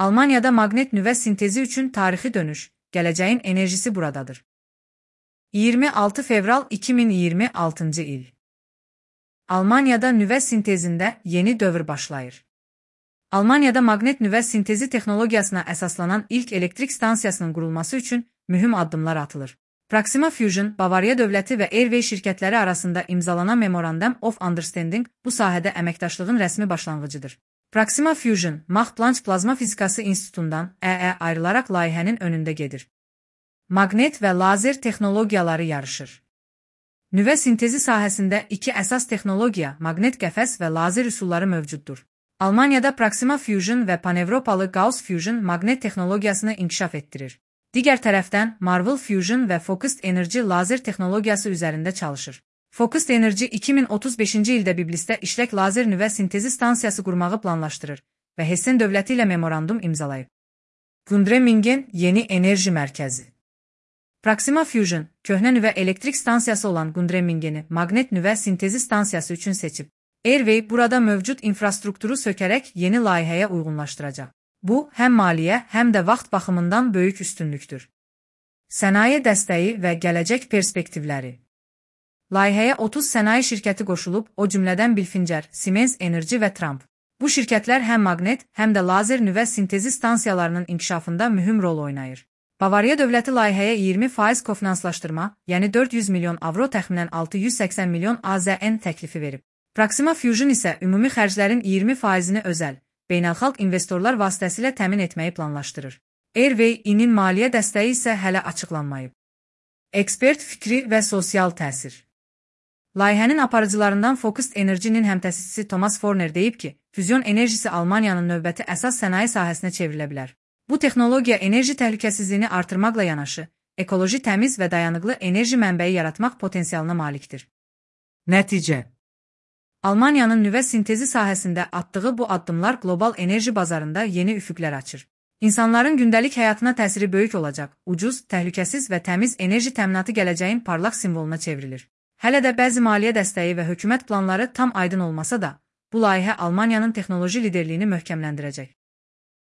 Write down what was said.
Almaniyada maqnet nüvə sintezi üçün tarixi dönüş, gələcəyin enerjisi buradadır. 26 fevral 2026-cı il. Almaniyada nüvə sintezində yeni dövr başlayır. Almaniyada maqnet nüvə sintezi texnologiyasına əsaslanan ilk elektrik stansiyasının qurulması üçün mühüm addımlar atılır. Proxima Fusion, Bavariya dövləti və Airway şirkətləri arasında imzalanan Memorandum of Understanding bu sahədə əməkdaşlığın rəsmi başlanğıcıdır. Proxima Fusion, Max Planck Plazma Fizikası İnstitutundan ayrılaraq layihənin önündə gedir. Maqnet və lazer texnologiyaları yarışır. Nüvə sintezi sahəsində iki əsas texnologiya, maqnet qəfəs və lazer üsulları mövcuddur. Almaniyada Proxima Fusion və Panevropalı Gauss Fusion maqnet texnologiyasını inkişaf etdirir. Digər tərəfdən Marvel Fusion və Focused Energy lazer texnologiyası üzərində çalışır. Focused Energy 2035-ci ildə Biblisdə işlək lazer nüvə sintezi stansiyası qurmağı planlaşdırır və Hessen dövləti ilə memorandum imzalayıb. Gundremmingen Yeni Enerji Mərkəzi. Proxima Fusion, köhnə nüvə elektrik stansiyası olan Gundremmingeni maqnet nüvə sintezi stansiyası üçün seçib. Airway burada mövcud infrastrukturu sökərək yeni layihəyə uyğunlaşdıracaq. Bu, həm maliyyə, həm də vaxt baxımından böyük üstünlükdür. Sənaye dəstəyi və gələcək perspektivləri. Layihəyə 30 sənaye şirkəti qoşulub, o cümlədən Bilfinger, Siemens Energy və Trump. Bu şirkətlər həm maqnet, həm də lazer nüvə sintezi stansiyalarının inkişafında mühüm rol oynayır. Bavariya dövləti layihəyə 20% kofinanslaşdırma, yəni 400 milyon avro təxminən 680 milyon AZN təklifi verib. Proxima Fusion isə ümumi xərclərin 20%-ni özəl, beynəlxalq investorlar vasitəsilə təmin etməyi planlaşdırır. Airway-in maliyyə dəstəyi isə hələ açıqlanmayıb. Ekspert fikri və sosial təsir. Layihənin aparıcılarından Focused Energy-nin həmtəsisçisi Thomas Forner deyib ki, füzyon enerjisi Almaniyanın növbəti əsas sənaye sahəsinə çevrilə bilər. Bu texnologiya enerji təhlükəsizliyini artırmaqla yanaşı, ekoloji təmiz və dayanıqlı enerji mənbəyi yaratmaq potensialına malikdir. Nəticə. Almaniyanın nüvə sintezi sahəsində atdığı bu addımlar qlobal enerji bazarında yeni üfüqlər açır. İnsanların gündəlik həyatına təsiri böyük olacaq, ucuz, təhlükəsiz və təmiz enerji təminatı gələcəyin parlaq simvoluna çevrilir. Hələ də bəzi maliyyə dəstəyi və hökumət planları tam aydın olmasa da, bu layihə Almaniyanın texnoloji liderliyini möhkəmləndirəcək.